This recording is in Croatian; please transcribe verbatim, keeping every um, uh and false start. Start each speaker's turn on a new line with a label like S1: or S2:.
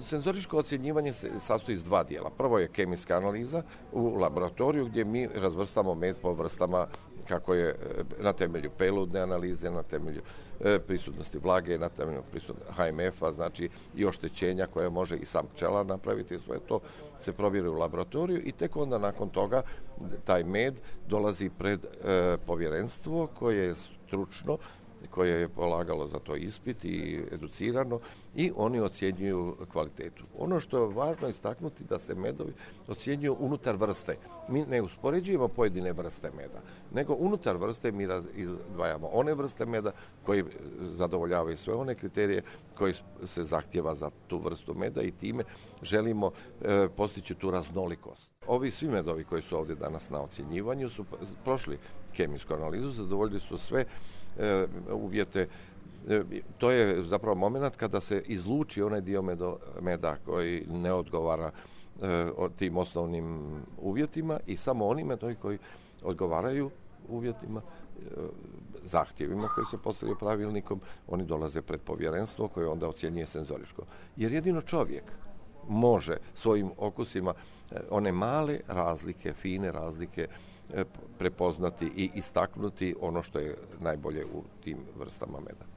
S1: Senzoričko ocjenjivanje se sastoji iz dva dijela. Prvo je kemijska analiza u laboratoriju gdje mi razvrstamo med po vrstama kako je na temelju peludne analize, na temelju prisutnosti vlage, na temelju prisutnosti H M F-a, znači i oštećenja koje može i sam pčelar napraviti, sve to se provjeri u laboratoriju i tek onda nakon toga taj med dolazi pred e, povjerenstvo koje je stručno, koje je polagalo za to ispit i educirano i oni ocjenjuju kvalitetu. Ono što je važno istaknuti da se medovi ocjenjuju unutar vrste. Mi ne uspoređujemo pojedine vrste meda, nego unutar vrste mi izdvajamo one vrste meda koji zadovoljavaju sve one kriterije koji se zahtjeva za tu vrstu meda i time želimo e, postići tu raznolikost. Ovi svi medovi koji su ovdje danas na ocjenjivanju su prošli kemijsku analizu, zadovoljili su sve e, uvjete. E, to je zapravo moment kada se izluči onaj dio medo, meda koji ne odgovara e, tim osnovnim uvjetima i samo oni medovi koji odgovaraju uvjetima, e, zahtjevima koji se postavljaju pravilnikom, oni dolaze pred povjerenstvo koje onda ocjenjuje senzoričko. Jer jedino čovjek može svojim okusima one male razlike, fine razlike prepoznati i istaknuti ono što je najbolje u tim vrstama meda.